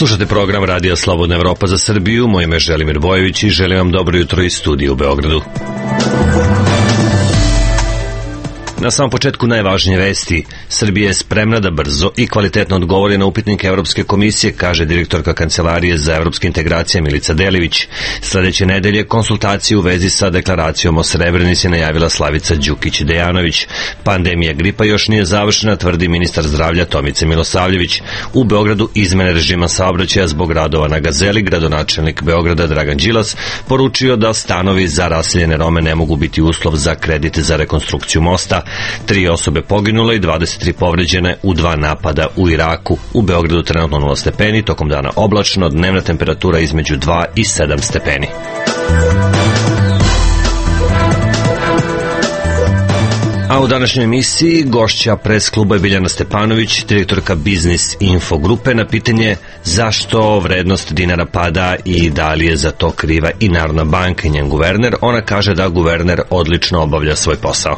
Slušate program Radija Slobodna Evropa za Srbiju. Moje ime je Želimir Bojević i želim vam dobro jutro iz studija u Beogradu. Na samom početku najvažnije vesti. Srbija je spremna da brzo i kvalitetno odgovori na upitnike Evropske komisije, kaže direktorka Kancelarije za evropske integracije Milica Delević. Sledeće nedelje konsultacije u vezi sa deklaracijom o Srebrenici najavila Slavica Đukić-Dejanović. Pandemija gripa još nije završena, tvrdi ministar zdravlja Tomica Milosavljević. U Beogradu izmene režima saobraćaja zbog radova na Gazeli, gradonačelnik Beograda Dragan Đilas poručio da stanovi za raseljene Rome ne mogu biti uslov za kredit za rekonstrukciju mosta. 3 osobe poginule i 23 povređene u 2 napada u Iraku. U Beogradu trenutno 0 stepeni, tokom dana oblačno, dnevna temperatura između 2 i 7 stepeni. A u današnjoj emisiji gošća pres kluba je Biljana Stepanović, direktorka Biznis Info grupe, na pitanje zašto vrednost dinara pada i da li je za to kriva i Narodna banka i njen guverner. Ona kaže da guverner odlično obavlja svoj posao.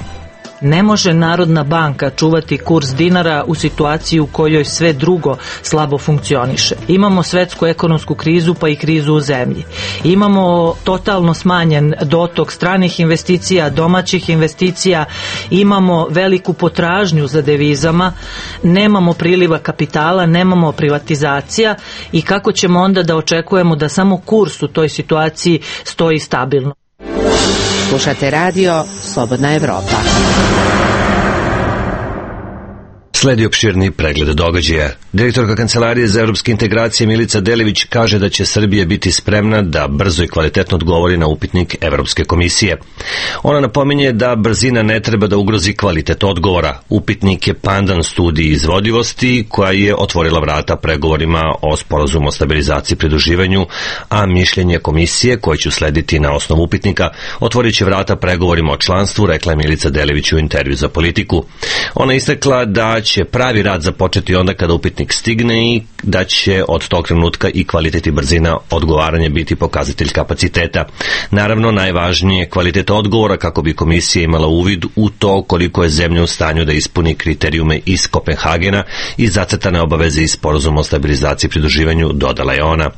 Ne može Narodna banka čuvati kurs dinara u situaciji u kojoj sve drugo slabo funkcioniše. Imamo svetsku ekonomsku krizu pa i krizu u zemlji. Imamo totalno smanjen dotok stranih investicija, domaćih investicija, imamo veliku potražnju za devizama, nemamo priliva kapitala, nemamo privatizacija i kako ćemo onda da očekujemo da samo kurs u toj situaciji stoji stabilno. Slušate radio Slobodna Evropa. Sledi opširni pregled događaja. Direktorka Kancelarije za evropske integracije Milica Delević kaže da će Srbija biti spremna da brzo i kvalitetno odgovori na upitnik Evropske komisije. Ona napominje da brzina ne treba da ugrozi kvalitet odgovora. Upitnik je pandan studiji izvodivosti koja je otvorila vrata pregovorima o sporazumu o stabilizaciji i pridruživanju, a mišljenje komisije koje će uslediti na osnovu upitnika otvorit će vrata pregovorima o članstvu, rekla je Milica Delević u intervju za Politiku. Ona istakla da će pravi rad započeti onda kada upitnik stigne i da će od tog trenutka i kvalitet i brzina odgovaranja biti pokazatelj kapaciteta. Naravno, najvažnije je kvalitet odgovora kako bi komisija imala uvid u to koliko je zemlja u stanju da ispuni kriterijume iz Kopenhagena i zacrtane obaveze iz sporazuma o stabilizaciji i pridruživanju, dodala je ona.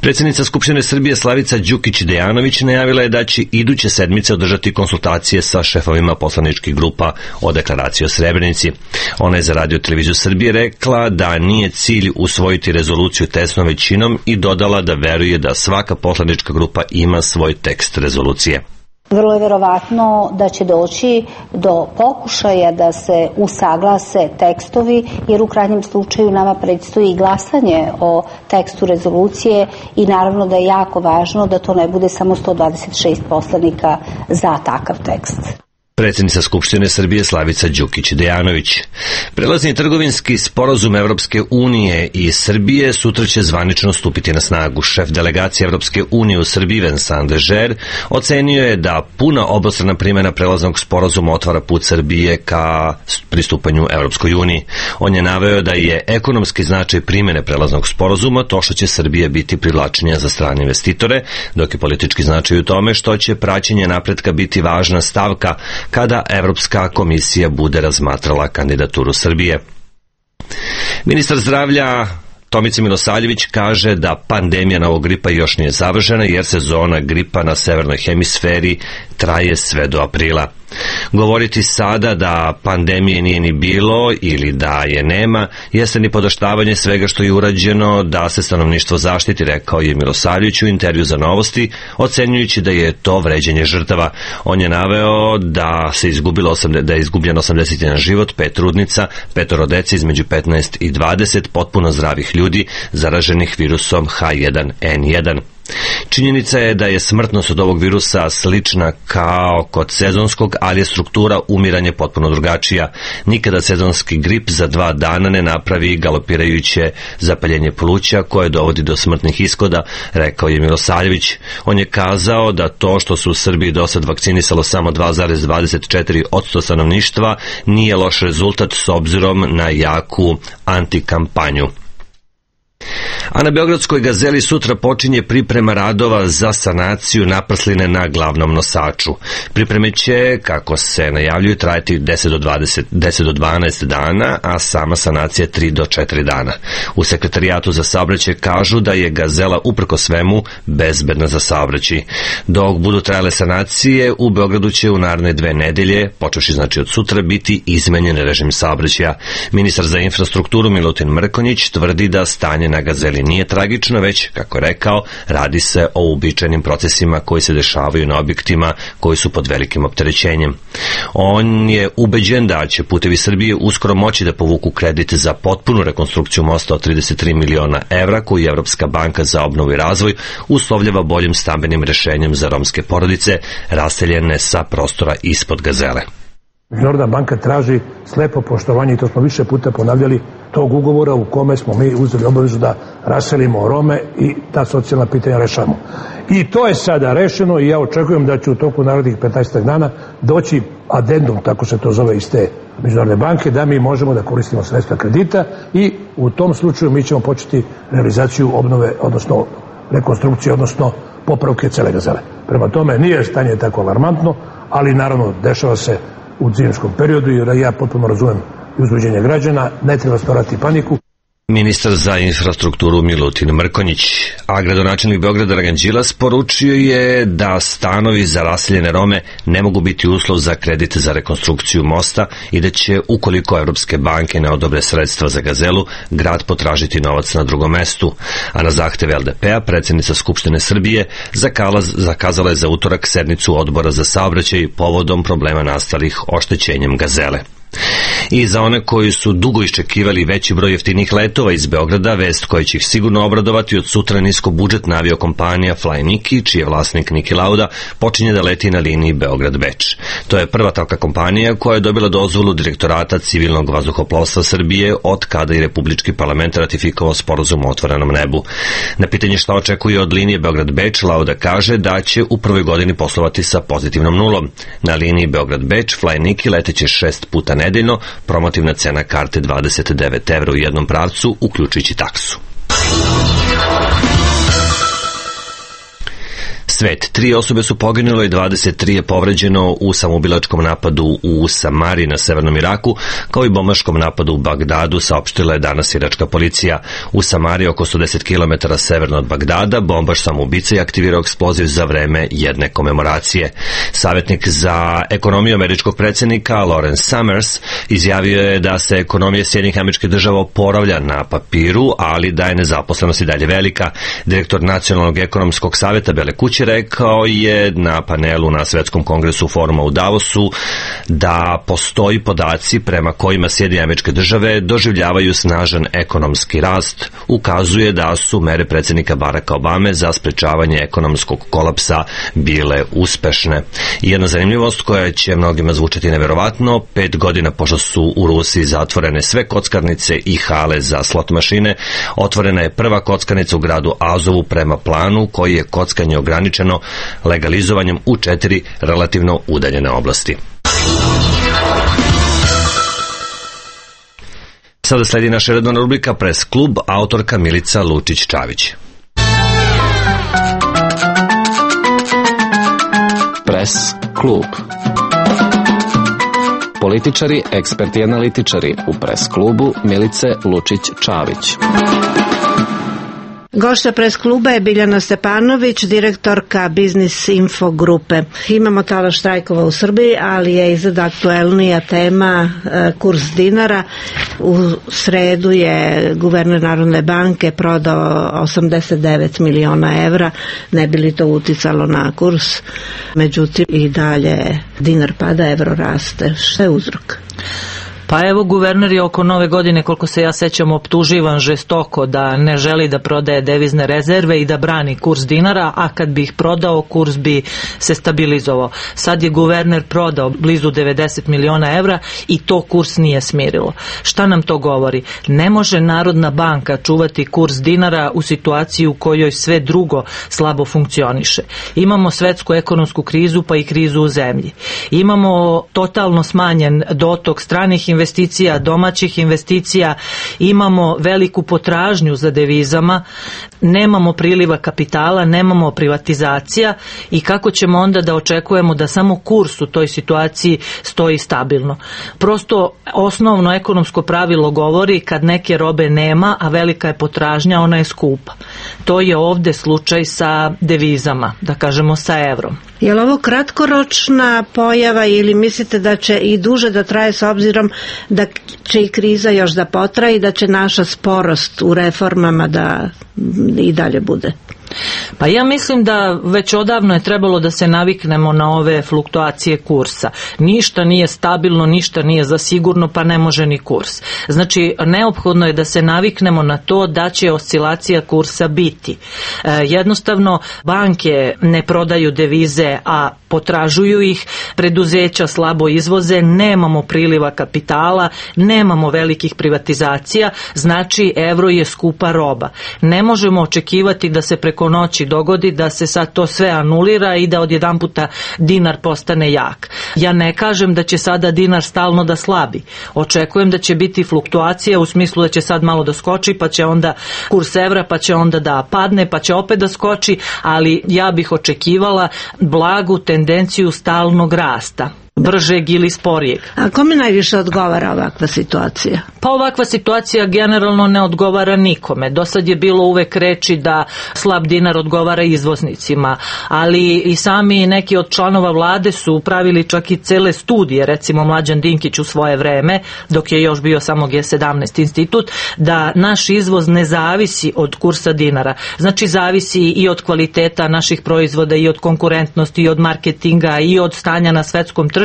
Predsjednica Skupštine Srbije Slavica Đukić-Dejanović najavila je da će iduće sedmice održati konsultacije sa šefovima poslaničkih grupa o deklaraciji o Srebrenici. Ona je za Radio Televiziju Srbije rekla da nije cilj usvojiti rezoluciju tesnom većinom i dodala da veruje da svaka poslanička grupa ima svoj tekst rezolucije. Vrlo je verovatno da će doći do pokušaja da se usaglase tekstovi, jer u krajnjem slučaju nama predstoji i glasanje o tekstu rezolucije i naravno da je jako važno da to ne bude samo 126 poslanika za takav tekst. Predsjednica Skupštine Srbije Slavica Đukić-Dejanović. Prelazni trgovinski sporazum Evropske unije i Srbije sutra će zvanično stupiti na snagu. Šef delegacije Evropske unije u Srbiji Vincent Dežer ocenio je da puna obostrana primjena prelaznog sporazuma otvara put Srbije ka pristupanju Evropskoj uniji. On je naveo da je ekonomski značaj primjene prelaznog sporazuma to što će Srbija biti privlačenija za strane investitore, dok je politički značaj u tome što će praćenje napretka biti važna stavka kada Evropska komisija bude razmatrala kandidaturu Srbije. Ministar zdravlja Tomica Milosavljević kaže da pandemija novog gripa još nije završena jer sezona gripa na severnoj hemisferi traje sve do aprila. Govoriti sada da pandemije nije ni bilo ili da je nema jeste ni podoštavanje svega što je urađeno da se stanovništvo zaštiti, rekao je Milosavljević u intervju za Novosti, ocenjujući da je to vređanje žrtava. On je naveo da je izgubljeno 81 život, 5 trudnica, 5 dece između 15 i 20 potpuno zdravih ljudi zaraženih virusom H1N1. Činjenica je da je smrtnost od ovog virusa slična kao kod sezonskog, ali je struktura umiranja potpuno drugačija. Nikada sezonski grip za 2 dana ne napravi galopirajuće zapaljenje pluća koje dovodi do smrtnih ishoda, rekao je Milosavljević. On je kazao da to što su u Srbiji do sad vakcinisalo samo 2,24% stanovništva nije loš rezultat s obzirom na jaku antikampanju. A na Beogradskoj Gazeli sutra počinje priprema radova za sanaciju naprsline na glavnom nosaču. Pripreme će, kako se najavljuju, trajati 10 do 12 dana, a sama sanacija 3 do 4 dana. U Sekretarijatu za saobraćaj kažu da je Gazela uprko svemu bezbedna za saobraćaj. Dok budu trajale sanacije, u Beogradu će u naredne 2 nedelje, počevši znači od sutra, biti izmenjen režim saobraćaja. Ministar za infrastrukturu Milutin Mrkonjić tvrdi da stanje na Gazeli nije tragično, već, kako je rekao, radi se o uobičajenim procesima koji se dešavaju na objektima koji su pod velikim opterećenjem. On je ubeđen da će Putevi Srbije uskoro moći da povuku kredit za potpunu rekonstrukciju mosta od 33 miliona evra koji Evropska banka za obnovu i razvoj uslovljava boljim stambenim rešenjem za romske porodice raseljene sa prostora ispod Gazele. Međunarodna banka traži slepo poštovanje, i to smo više puta ponavljali, tog ugovora u kome smo mi uzeli obavezu da raselimo Rome i ta socijalna pitanja rešamo. I to je sada rešeno i ja očekujem da će u toku narednih 15 dana doći adendum, tako se to zove iz te Međunarodne banke, da mi možemo da koristimo sredstva kredita i u tom slučaju mi ćemo početi realizaciju obnove, odnosno rekonstrukcije, odnosno popravke cele Gazele. Prema tome nije stanje tako alarmantno, ali naravno dešava se u zimskom periodu i ja potpuno razumem uzbuđenje građana, ne treba stvarati paniku. Ministar za infrastrukturu Milutin Mrkonjić, a gradonačelnik Beograda Dragan Đilas poručio je da stanovi za raseljene Rome ne mogu biti uslov za kredit za rekonstrukciju mosta i da će, ukoliko evropske banke ne odobre sredstva za Gazelu, grad potražiti novac na drugom mestu. A na zahtev LDP-a predsjednica Skupštine Srbije zakazala je za utorak sednicu odbora za saobraćaj povodom problema nastalih oštećenjem Gazele. I za one koji su dugo iščekivali veći broj jeftinih letova iz Beograda, vest koja će ih sigurno obradovati, od sutra niskobudžetna aviokompanija Fly Niki, čiji je vlasnik Niki Lauda, počinje da leti na liniji Beograd-Beč. To je prva takva kompanija koja je dobila dozvolu Direktorata civilnog vazduhoplovstva Srbije od kada i Republički parlament ratifikovao sporazum o otvorenom nebu. Na pitanje šta očekuje od linije Beograd-Beč, Lauda kaže da će u prvoj godini poslovati sa pozitivnom nulom. Na liniji Beograd-Beč Fly Niki leteće 6 puta nedeljno, promotivna cena karte 29 evra u jednom pravcu, uključujući taksu. Svet. 3 osobe su poginule i 23 je povređeno u samoubilačkom napadu u Samari na severnom Iraku, kao i bombaškom napadu u Bagdadu, saopštila je danas iračka policija. U Samari, oko 110 km severno od Bagdada, bombaš samoubica je aktivirao eksploziv za vreme jedne komemoracije. Savjetnik za ekonomiju američkog predsjednika Lawrence Summers izjavio je da se ekonomija Sjedinjenih Američkih Država oporavlja na papiru, ali da je nezaposlenost i dalje velika. Direktor Nacionalnog ekonomskog savjeta Bele kuće rekao je na panelu na Svetskom kongresu foruma u Davosu da postoji podaci prema kojima Sjedinjene Američke Države doživljavaju snažan ekonomski rast. Ukazuje da su mere predsjednika Baracka Obame za sprečavanje ekonomskog kolapsa bile uspešne. I jedna zanimljivost koja će mnogima zvučati neverovatno, 5 godina pošto su u Rusiji zatvorene sve kockarnice i hale za slot mašine, otvorena je prva kockarnica u gradu Azovu prema planu koji je kockanje ograničeno legalizovanjem u 4 relativno udaljene oblasti. Sada sledi naša redovna rubrika Pres klub, autorka Milica Lučić-Čavić. Pres klub. Političari, eksperti i analitičari u Pres klubu Milice Lučić-Čavić. Gošća Pres kluba je Biljana Stepanović, direktorka Biznis Info grupe. Imamo talas štrajkova u Srbiji, ali je izgleda aktuelnija tema kurs dinara. U sredu je guverner Narodne banke prodao 89 miliona evra, ne bi li to uticalo na kurs. Međutim, i dalje dinar pada, evro raste. Šta je uzrok? Pa evo, guverner je oko nove godine, koliko se ja sećam, optuživan žestoko da ne želi da prodaje devizne rezerve i da brani kurs dinara, a kad bi ih prodao, kurs bi se stabilizovao. Sad je guverner prodao blizu 90 miliona evra i to kurs nije smirilo. Šta nam to govori? Ne može Narodna banka čuvati kurs dinara u situaciji u kojoj sve drugo slabo funkcioniše. Imamo svetsku ekonomsku krizu, pa i krizu u zemlji. Imamo totalno smanjen dotok stranih investicija, domaćih investicija, imamo veliku potražnju za devizama, nemamo priliva kapitala, nemamo privatizacija i kako ćemo onda da očekujemo da samo kurs u toj situaciji stoji stabilno. Prosto osnovno ekonomsko pravilo govori kad neke robe nema, a velika je potražnja, ona je skupa. To je ovde slučaj sa devizama, da kažemo sa evrom. Je li ovo kratkoročna pojava ili mislite da će i duže da traje s obzirom da će i kriza još da potraje i da će naša sporost u reformama da i dalje bude? Pa ja mislim da već odavno je trebalo da se naviknemo na ove fluktuacije kursa. Ništa nije stabilno, ništa nije za sigurno, pa ne može ni kurs. Znači, neophodno je da se naviknemo na to da će oscilacija kursa biti. Jednostavno, banke ne prodaju devize, a potražuju ih, preduzeća slabo izvoze, nemamo priliva kapitala, nemamo velikih privatizacija, znači evro je skupa roba. Ne možemo očekivati da se preko noći dogodi da se sad to sve anulira i da odjedanputa dinar postane jak. Ja ne kažem da će sada dinar stalno da slabi. Očekujem da će biti fluktuacija u smislu da će sad malo da skoči, pa će onda kurs evra, pa će onda da padne, pa će opet da skoči, ali ja bih očekivala blagu tendenciju stalnog rasta. Bržeg ili sporijeg. A kome najviše odgovara ovakva situacija? Pa ovakva situacija generalno ne odgovara nikome. Do sad je bilo uvek reči da slab dinar odgovara izvoznicima, ali i sami neki od članova vlade su pravili čak i cele studije, recimo Mlađan Dinkić u svoje vreme, dok je još bio samo G17 institut, da naš izvoz ne zavisi od kursa dinara. Znači zavisi i od kvaliteta naših proizvoda, i od konkurentnosti, i od marketinga, i od stanja na svetskom tržištu,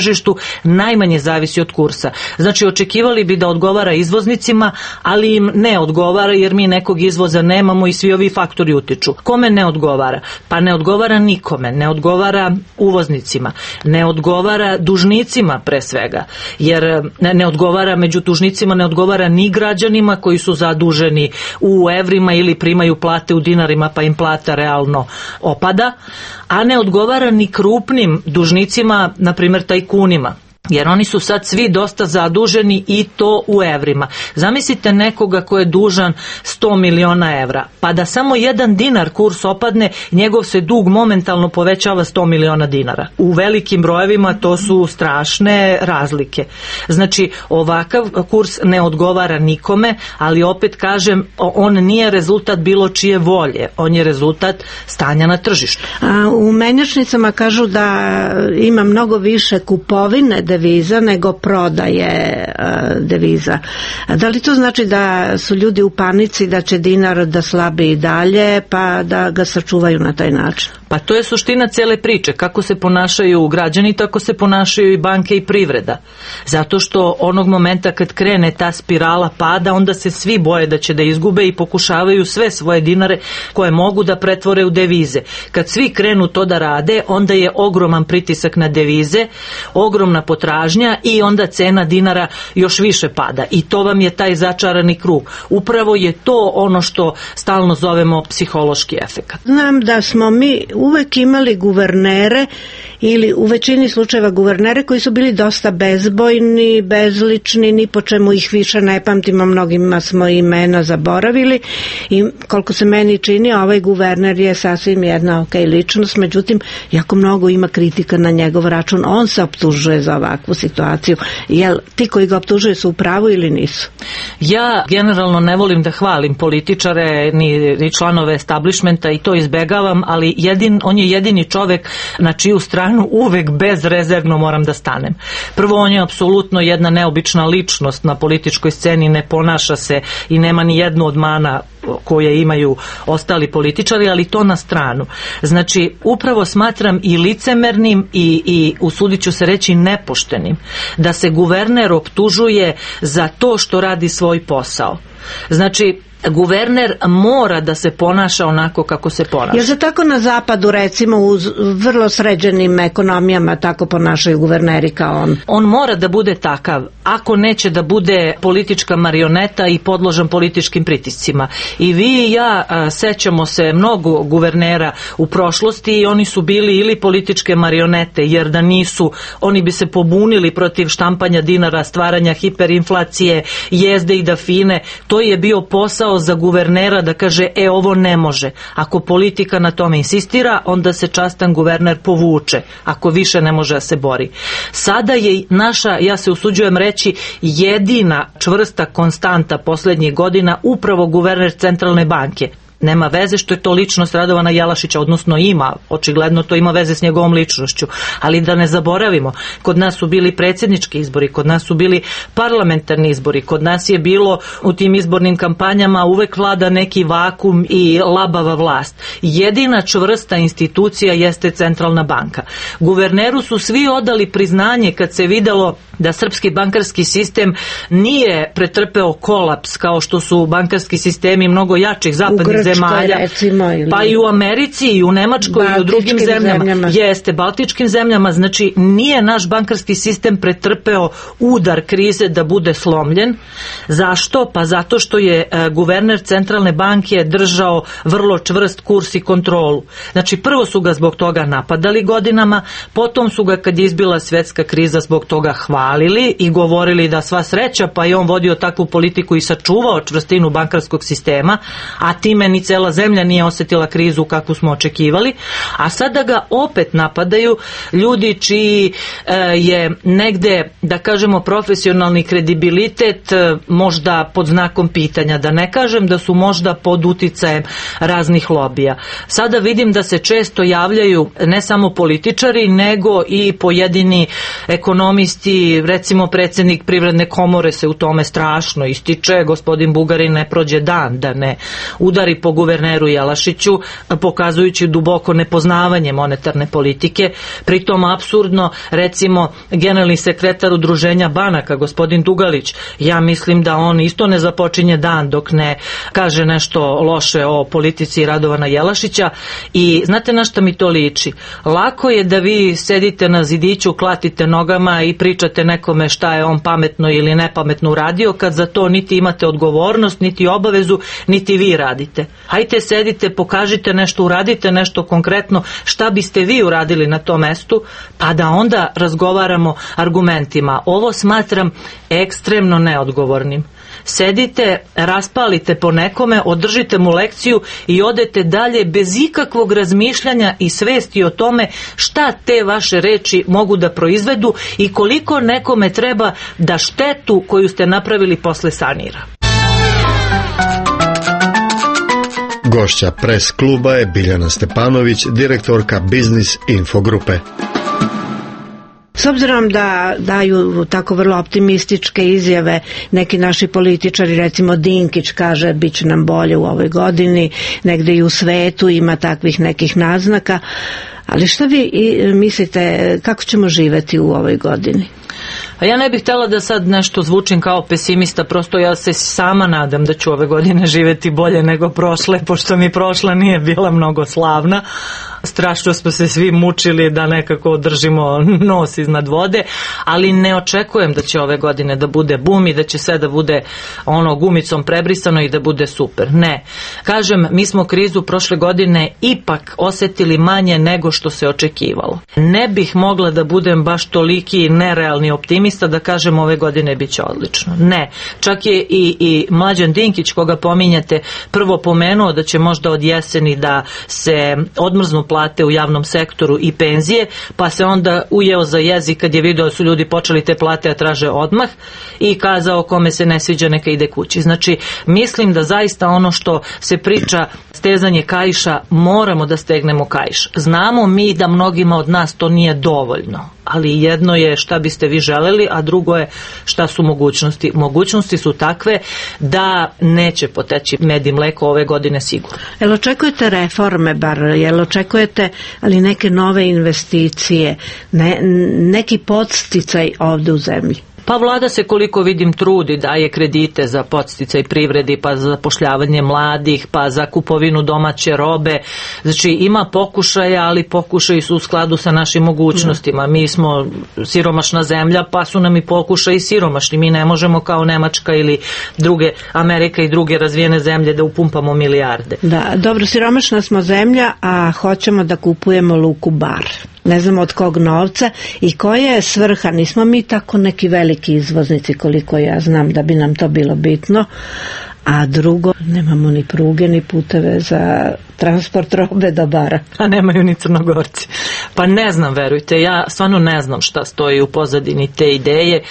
najmanje zavisi od kursa. Znači očekivali bi da odgovara izvoznicima, ali im ne odgovara jer mi nekog izvoza nemamo i svi ovi faktori utiču. Kome ne odgovara? Pa ne odgovara nikome, ne odgovara uvoznicima, ne odgovara dužnicima pre svega, jer ne odgovara među dužnicima, ne odgovara ni građanima koji su zaduženi u evrima ili primaju plate u dinarima pa im plata realno opada, a ne odgovara ni krupnim dužnicima, na primjer tajkunima. Jer oni su sad svi dosta zaduženi i to u evrima. Zamislite nekoga ko je dužan 100 miliona evra, pa da samo 1 dinar kurs opadne, njegov se dug momentalno povećava 100 miliona dinara. U velikim brojevima to su strašne razlike. Znači, ovakav kurs ne odgovara nikome, ali opet kažem, on nije rezultat bilo čije volje, on je rezultat stanja na tržištu. A u menjačnicama kažu da ima mnogo više kupovine deviza nego prodaje deviza. Da li to znači da su ljudi u panici da će dinar da slabi i dalje, pa da ga sačuvaju na taj način? Pa to je suština cele priče. Kako se ponašaju građani, tako se ponašaju i banke i privreda. Zato što onog momenta kad krene ta spirala pada, onda se svi boje da će da izgube i pokušavaju sve svoje dinare koje mogu da pretvore u devize. Kad svi krenu to da rade, onda je ogroman pritisak na devize, ogromna potražnja i onda cena dinara još više pada. I to vam je taj začarani krug. Upravo je to ono što stalno zovemo psihološki efekat. Znam da smo mi uvek imali guvernere ili u većini slučajeva guvernere koji su bili dosta bezbojni, bezlični, ni po čemu ih više ne pamtimo, mnogima smo imena zaboravili i koliko se meni čini, ovaj guverner je sasvim jedna ličnost, međutim jako mnogo ima kritika na njegov račun, on se optužuje za ovakvu situaciju. Jel ti koji ga optužuju su u pravu ili nisu? Ja generalno ne volim da hvalim političare ni članove establishmenta i to izbegavam, ali on je jedini čovek na čiju stranu uvek bezrezervno moram da stanem. Prvo, on je apsolutno jedna neobična ličnost na političkoj sceni, ne ponaša se i nema ni jednu od mana koje imaju ostali političari, ali to na stranu. Znači, upravo smatram i licemernim i usudit ću se reći nepoštenim da se guverner optužuje za to što radi svoj posao. Znači, guverner mora da se ponaša onako kako se ponaša. Jer se tako na zapadu, recimo u vrlo sređenim ekonomijama tako ponašaju guverneri kao on? On mora da bude takav, ako neće da bude politička marioneta i podložan političkim pritiscima. I vi i ja sećamo se mnogo guvernera u prošlosti i oni su bili ili političke marionete, jer da nisu, oni bi se pobunili protiv štampanja dinara, stvaranja hiperinflacije, jezde i dafine. To je bio posao za guvernera da kaže, ovo ne može. Ako politika na tome insistira, onda se častan guverner povuče, ako više ne može da se bori. Sada je naša, ja se usuđujem reći, jedina čvrsta konstanta poslednjih godina upravo guverner Centralne banke. Nema veze što je to ličnost Radovana Jelašića, odnosno ima, očigledno to ima veze s njegovom ličnošću, ali da ne zaboravimo, kod nas su bili predsjednički izbori, kod nas su bili parlamentarni izbori, kod nas je bilo u tim izbornim kampanjama uvek vlada neki vakum i labava vlast. Jedina čvrsta institucija jeste Centralna banka. Guverneru su svi odali priznanje kad se videlo da srpski bankarski sistem nije pretrpeo kolaps kao što su bankarski sistemi mnogo jačih zapadnih zemalja, recimo, pa i u Americi i u Nemačkoj i u drugim zemljama. Jeste, baltičkim zemljama, znači nije naš bankarski sistem pretrpeo udar krize da bude slomljen. Zašto? Pa zato što je guverner Centralne banke držao vrlo čvrst kurs i kontrolu. Znači prvo su ga zbog toga napadali godinama, potom su ga kad je izbila svjetska kriza zbog toga hvalili i govorili da sva sreća, pa je on vodio takvu politiku i sačuvao čvrstinu bankarskog sistema, a time ni cela zemlja nije osjetila krizu kakvu smo očekivali, a sada ga opet napadaju ljudi čiji je negde, da kažemo, profesionalni kredibilitet možda pod znakom pitanja, da ne kažem da su možda pod uticajem raznih lobija. Sada vidim da se često javljaju ne samo političari, nego i pojedini ekonomisti, recimo predsjednik Privredne komore se u tome strašno ističe, gospodin Bugarin ne prođe dan da ne udari po guverneru Jelašiću, pokazujući duboko nepoznavanje monetarne politike. Pritom apsurdno, recimo, generalni sekretar Udruženja banaka, gospodin Dugalić, ja mislim da on isto ne započinje dan dok ne kaže nešto loše o politici Radovana Jelašića. I znate na šta mi to liči? Lako je da vi sedite na zidiću, klatite nogama i pričate nekome šta je on pametno ili nepametno uradio, kad za to niti imate odgovornost, niti obavezu, niti vi radite. Hajte sedite, pokažite nešto, uradite nešto konkretno, šta biste vi uradili na tom mestu, pa da onda razgovaramo argumentima. Ovo smatram ekstremno neodgovornim. Sedite, raspalite po nekome, održite mu lekciju i odete dalje bez ikakvog razmišljanja i svesti o tome šta te vaše reči mogu da proizvedu i koliko nekome treba da štetu koju ste napravili posle sanira. Gošća Pres kluba je Biljana Stepanović, direktorka Biznis Info grupe. S obzirom da daju tako vrlo optimističke izjave neki naši političari, recimo Dinkić kaže bit će nam bolje u ovoj godini, negde i u svetu ima takvih nekih naznaka, ali šta vi mislite kako ćemo živeti u ovoj godini? A ja ne bih htjela da sad nešto zvučim kao pesimista, prosto ja se sama nadam da ću ove godine živjeti bolje nego prošle, pošto mi prošla nije bila mnogo slavna. Strašno smo se svi mučili da nekako održimo nos iznad vode, ali ne očekujem da će ove godine da bude bum i da će sve da bude ono gumicom prebrisano i da bude super. Ne. Kažem, mi smo krizu prošle godine ipak osjetili manje nego što se očekivalo. Ne bih mogla da budem baš toliki nerealni optimista da kažem ove godine bit će odlično. Ne. Čak je i Mlađan Dinkić, koga pominjate, prvo pomenuo da će možda od jeseni da se odmrznu plate u javnom sektoru i penzije, pa se onda ujeo za jezik kad je video da su ljudi počeli te plate a traže odmah i kazao kome se ne sviđa neka ide kući. Znači, mislim da zaista ono što se priča stezanje kaiša, moramo da stegnemo kaiš. Znamo mi da mnogima od nas to nije dovoljno, ali jedno je šta biste vi želeli, a drugo je šta su mogućnosti. Mogućnosti su takve da neće poteći med i mleko ove godine sigurno. Jel očekujete reforme bar? Jel očekujete ali neke nove investicije? Neki podsticaj ovde u zemlji? Pa vlada se, koliko vidim, trudi, daje kredite za podsticaj privredi, pa za zapošljavanje mladih, pa za kupovinu domaće robe. Znači ima pokušaja, ali pokušaji su u skladu sa našim mogućnostima. Mi smo siromašna zemlja, pa su nam i pokušaji siromašni. Mi ne možemo kao Nemačka ili druge, Amerika i druge razvijene zemlje da upumpamo milijarde. Da, dobro, siromašna smo zemlja, a hoćemo da kupujemo luku Bar. Ne znamo od kog novca i koja je svrha. Nismo mi tako neki veliki izvoznici, koliko ja znam, da bi nam to bilo bitno. A drugo, nemamo ni pruge, ni puteve za transport robe do Bara. A nemaju ni Crnogorci. Pa ne znam, verujte, ja stvarno ne znam šta stoji u pozadini te ideje.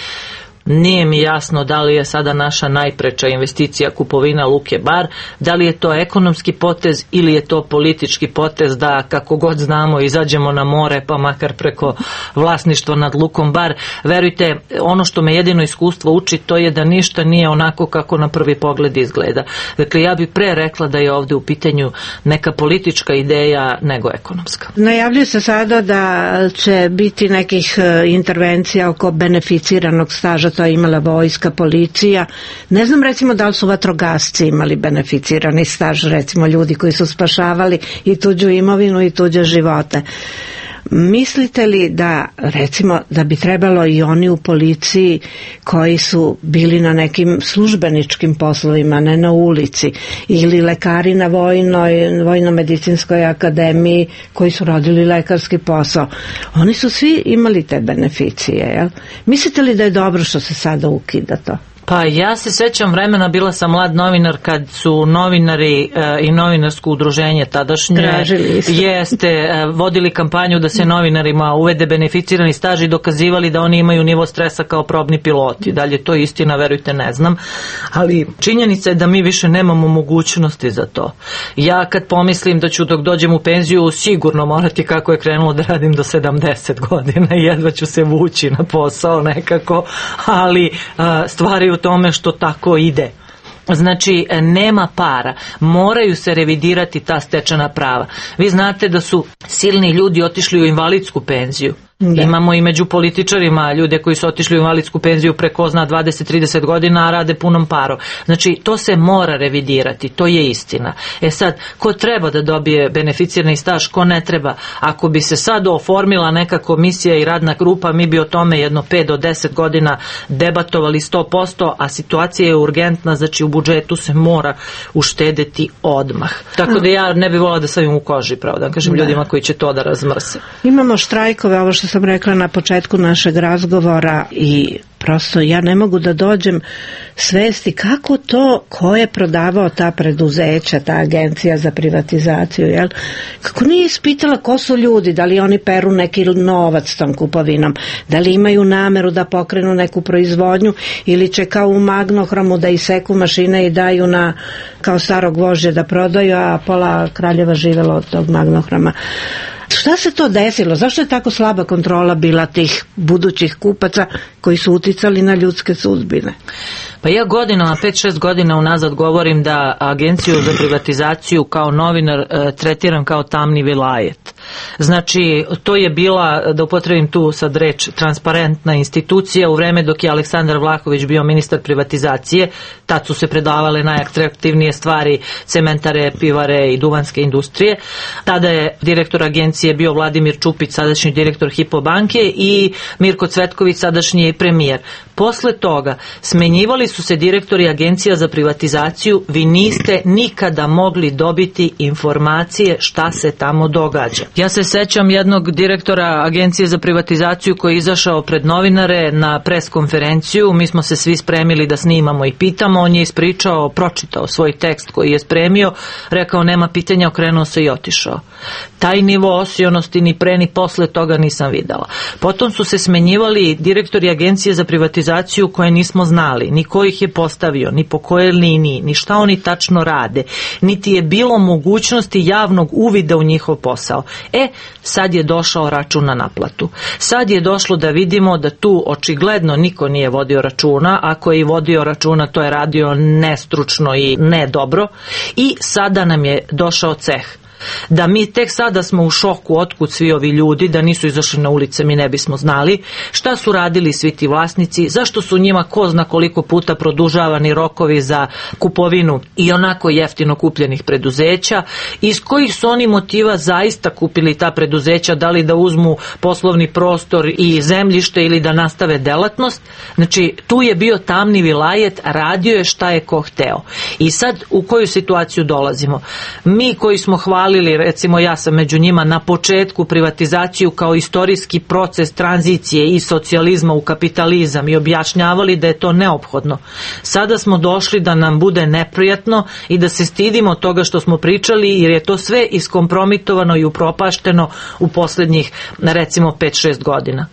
Nije mi jasno da li je sada naša najpreča investicija kupovina luke Bar, da li je to ekonomski potez ili je to politički potez da kako god znamo izađemo na more pa makar preko vlasništva nad lukom Bar. Verujte, ono što me jedino iskustvo uči to je da ništa nije onako kako na prvi pogled izgleda. Dakle, ja bih pre rekla da je ovdje u pitanju neka politička ideja nego ekonomska. Najavljuje se sada da će biti nekih intervencija oko beneficiranog staža, to je imala vojska, policija. Ne znam recimo da li su vatrogasci imali beneficirani staž, recimo ljudi koji su spašavali i tuđu imovinu i tuđe živote. Mislite li da, recimo, da bi trebalo i oni u policiji koji su bili na nekim službeničkim poslovima, ne na ulici, ili lekari na Vojno-medicinskoj akademiji koji su radili lekarski posao, oni su svi imali te beneficije, jel? Mislite li da je dobro što se sada ukida to? Pa ja se sećam vremena, bila sam mlad novinar kad su novinari i novinarsko udruženje tadašnje vodili kampanju da se novinarima uvede beneficirani staž i dokazivali da oni imaju nivo stresa kao probni piloti. Dalje to je istina, verujte, ne znam, ali činjenica je da mi više nemamo mogućnosti za to. Ja kad pomislim da ću dok dođem u penziju sigurno morati, kako je krenulo, da radim do 70 godina i jedva ću se vući na posao nekako, ali stvari u tome što tako ide. Znači, nema para. Moraju se revidirati ta stečena prava. Vi znate da su silni ljudi otišli u invalidsku penziju. Da. Imamo i među političarima ljude koji su otišli u invalidsku penziju preko 20-30 godina, a rade punom parom. Znači, to se mora revidirati, to je istina. Sad, ko treba da dobije beneficirani staž, ko ne treba? Ako bi se sad oformila neka komisija i radna grupa, mi bi o tome jedno 5 do 10 godina debatovali 100%, a situacija je urgentna, znači u budžetu se mora uštedeti odmah. Tako da ja ne bih volila da stavim u koži, pravo da kažem ljudima koji će to da razmrse. Imamo štrajkove, ovo što sam rekla na početku našeg razgovora, i prosto ja ne mogu da dođem svesti kako to, ko je prodavao ta preduzeća, ta agencija za privatizaciju, jel? Kako nije ispitala ko su ljudi, da li oni peru neki novac tom kupovinom, da li imaju nameru da pokrenu neku proizvodnju ili će kao u Magnohromu da iseku mašine i daju na kao starog vožđa da prodaju, a pola kraljeva živelo od tog Magnohroma. Šta se to desilo? Zašto je tako slaba kontrola bila tih budućih kupaca koji su uticali na ljudske sudbine? Pa ja godinama, 5-6 godina unazad govorim da agenciju za privatizaciju kao novinar tretiram kao tamni vilajet. Znači, to je bila, da upotrebim tu sad reč, transparentna institucija u vreme dok je Aleksandar Vlahović bio ministar privatizacije. Tad su se predavale najatraktivnije stvari, cementare, pivare i duvanske industrije. Tada je direktor agencije bio Vladimir Čupić, sadašnji direktor Hypo banke, i Mirko Cvetković, sadašnji premijer. Posle toga smenjivali su se direktori agencija za privatizaciju, vi niste nikada mogli dobiti informacije šta se tamo događa. Ja se sećam jednog direktora agencije za privatizaciju koji je izašao pred novinare na pres konferenciju, mi smo se svi spremili da snimamo i pitamo, on je ispričao, pročitao svoj tekst koji je spremio, rekao nema pitanja, okrenuo se i otišao. Taj nivo osionosti ni pre ni posle toga nisam videla. Potom su se smenjivali direktori agencije za privatizaciju koje nismo znali, ni ko ih je postavio, ni po kojoj liniji, ni šta oni tačno rade, niti je bilo mogućnosti javnog uvida u njihov posao. Sad je došao račun na naplatu. Sad je došlo da vidimo da tu očigledno niko nije vodio računa, ako je i vodio računa to je radio nestručno i ne dobro, i sada nam je došao ceh. Da mi tek sada smo u šoku otkud svi ovi ljudi, da nisu izašli na ulice mi ne bismo znali šta su radili svi ti vlasnici, zašto su njima ko zna koliko puta produžavani rokovi za kupovinu i onako jeftino kupljenih preduzeća, iz kojih su oni motiva zaista kupili ta preduzeća, da li da uzmu poslovni prostor i zemljište ili da nastave delatnost. Znači tu je bio tamni vilajet, radio je šta je ko hteo. I sad u koju situaciju dolazimo? Mi koji smo hvalili, recimo ja sam među njima, na početku privatizaciju kao istorijski proces tranzicije i socijalizma u kapitalizam i objašnjavali da je to neophodno. Sada smo došli da nam bude neprijatno i da se stidimo toga što smo pričali, jer je to sve iskompromitovano i upropašteno u posljednjih recimo 5-6 godina.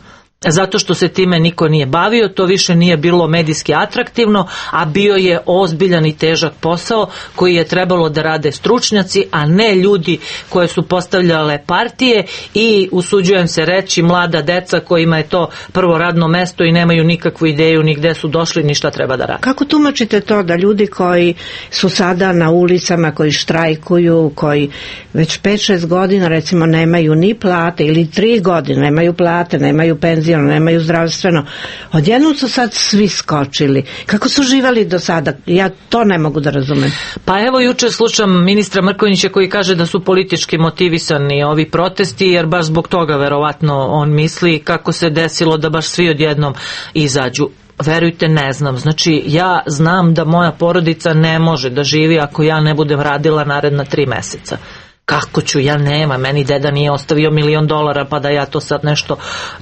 Zato što se time niko nije bavio, to više nije bilo medijski atraktivno, a bio je ozbiljan i težak posao koji je trebalo da rade stručnjaci, a ne ljudi koje su postavljale partije i, usuđujem se reći, mlada deca kojima je to prvo radno mesto i nemaju nikakvu ideju ni gde su došli ni šta treba da rade. Kako tumačite to da ljudi koji su sada na ulicama, koji štrajkuju, koji već 5-6 godina recimo nemaju ni plate ili 3 godine nemaju plate, nemaju penzije, nemaju zdravstveno, odjednom su sad svi skočili. Kako su živali do sada? Ja to ne mogu da razumem. Pa evo juče slušam ministra Mrkonjića koji kaže da su politički motivisani ovi protesti, jer baš zbog toga verovatno on misli kako se desilo da baš svi odjednom izađu. Verujte, ne znam. Znači, ja znam da moja porodica ne može da živi ako ja ne budem radila naredna 3 meseca. Kako ću, ja nema, meni deda nije ostavio $1.000.000 pa da ja to sad nešto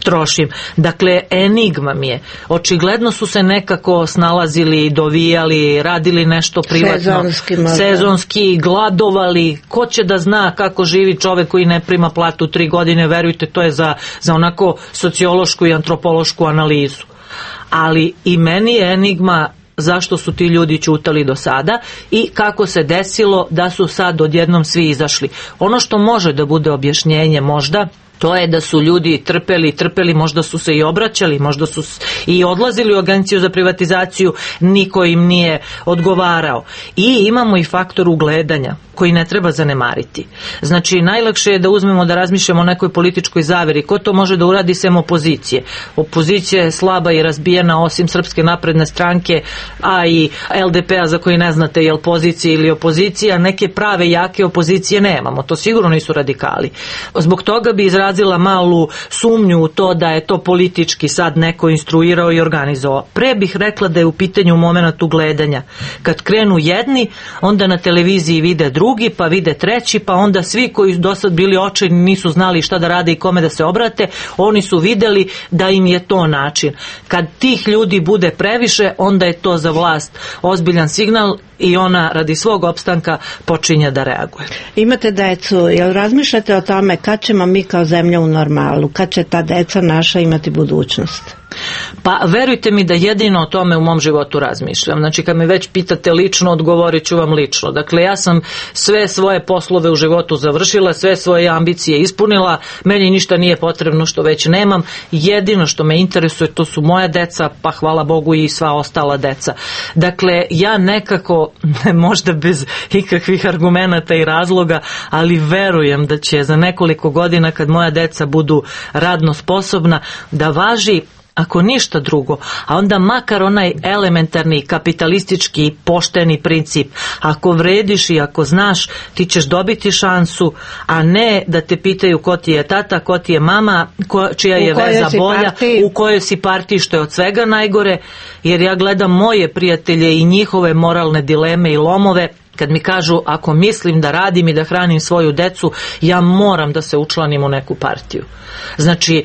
trošim. Dakle, enigma mi je. Očigledno su se nekako snalazili, dovijali, radili nešto privatno, sezonski, gladovali. Ko će da zna kako živi čovek koji ne prima platu 3 godine, verujte, to je za onako sociološku i antropološku analizu. Ali i meni je enigma zašto su ti ljudi ćutali do sada i kako se desilo da su sad odjednom svi izašli. Ono što može da bude objašnjenje možda, to je da su ljudi trpeli, možda su se i obraćali, možda su i odlazili u agenciju za privatizaciju, niko im nije odgovarao. I imamo i faktor ugledanja koji ne treba zanemariti. Znači, najlakše je da uzmemo da razmišljamo o nekoj političkoj zaveri. Ko to može da uradi sem opozicije? Opozicija je slaba i razbijena osim Srpske napredne stranke, a i LDP-a za koji ne znate je li pozicija ili opozicija. Neke prave jake opozicije nemamo. To sigurno nisu radikali. Zbog toga bi izrazila malu sumnju u to da je to politički sad neko instruirao i organizovao. Pre bih rekla da je u pitanju momenat ugledanja. Kad krenu jedni, onda na televiziji vide drugi, pa vide treći, pa onda svi koji do sad bili očajni nisu znali šta da rade i kome da se obrate, oni su videli da im je to način. Kad tih ljudi bude previše, onda je to za vlast ozbiljan signal i ona radi svog opstanka počinje da reaguje. Imate decu, jel razmišljate o tome kad ćemo mi kao zemlja u normalu, kad će ta deca naša imati budućnost? Pa verujte mi da jedino o tome u mom životu razmišljam. Znači, kad me već pitate lično, odgovorit ću vam lično. Dakle, ja sam sve svoje poslove u životu završila, sve svoje ambicije ispunila, meni ništa nije potrebno što već nemam. Jedino što me interesuje, to su moja deca, pa hvala Bogu i sva ostala deca. Dakle, ja nekako, možda bez ikakvih argumenata i razloga, ali verujem da će za nekoliko godina, kad moja deca budu radno sposobna, da važi, ako ništa drugo, a onda makar onaj elementarni kapitalistički pošteni princip. Ako vrediš i ako znaš, ti ćeš dobiti šansu, a ne da te pitaju ko ti je tata, ko ti je mama, čija je veza bolja, u kojoj si partiji, što je od svega najgore, jer ja gledam moje prijatelje i njihove moralne dileme i lomove. Kad mi kažu, ako mislim da radim i da hranim svoju decu, ja moram da se učlanim u neku partiju. Znači,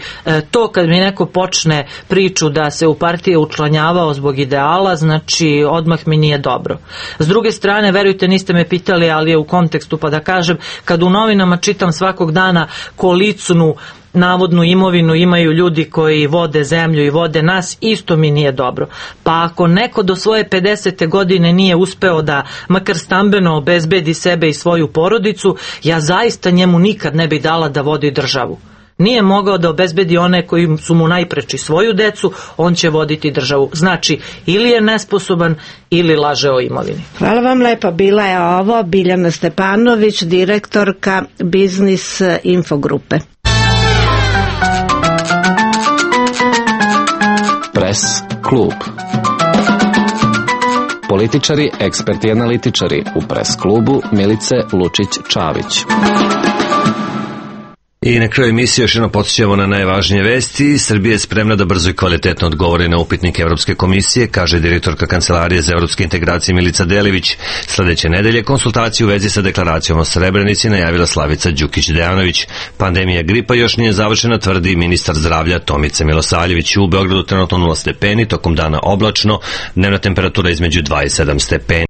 to kad mi neko počne priču da se u partije učlanjavao zbog ideala, znači, odmah mi nije dobro. S druge strane, verujte, niste me pitali, ali je u kontekstu pa da kažem, kad u novinama čitam svakog dana kolicnu navodnu imovinu imaju ljudi koji vode zemlju i vode nas, isto mi nije dobro. Pa ako neko do svoje 50. godine nije uspeo da makar stambeno obezbedi sebe i svoju porodicu, ja zaista njemu nikad ne bi dala da vodi državu. nije mogao da obezbedi one koji su mu najpreči, svoju decu, on će voditi državu. Znači, ili je nesposoban ili laže o imovini. Hvala vam lepo. Bila je ovo Biljana Stepanović, direktorka Biznis Infogrupe. Pres klub. Političari, eksperti i analitičari u Pres klubu Milice Lučić-Čavić. I na kraju emisije još jedno podsjećamo na najvažnije vesti. Srbija je spremna da brzo i kvalitetno odgovori na upitnike Evropske komisije, kaže direktorka Kancelarije za evropske integracije Milica Delivić. Sledeće nedelje konsultacije u vezi sa deklaracijom o Srebrenici najavila Slavica Đukić-Dejanović. Pandemija gripa još nije završena, tvrdi ministar zdravlja Tomica Milosavljević. U Beogradu trenutno 0 stepeni, tokom dana oblačno, dnevna temperatura između 2 i 7 stepeni.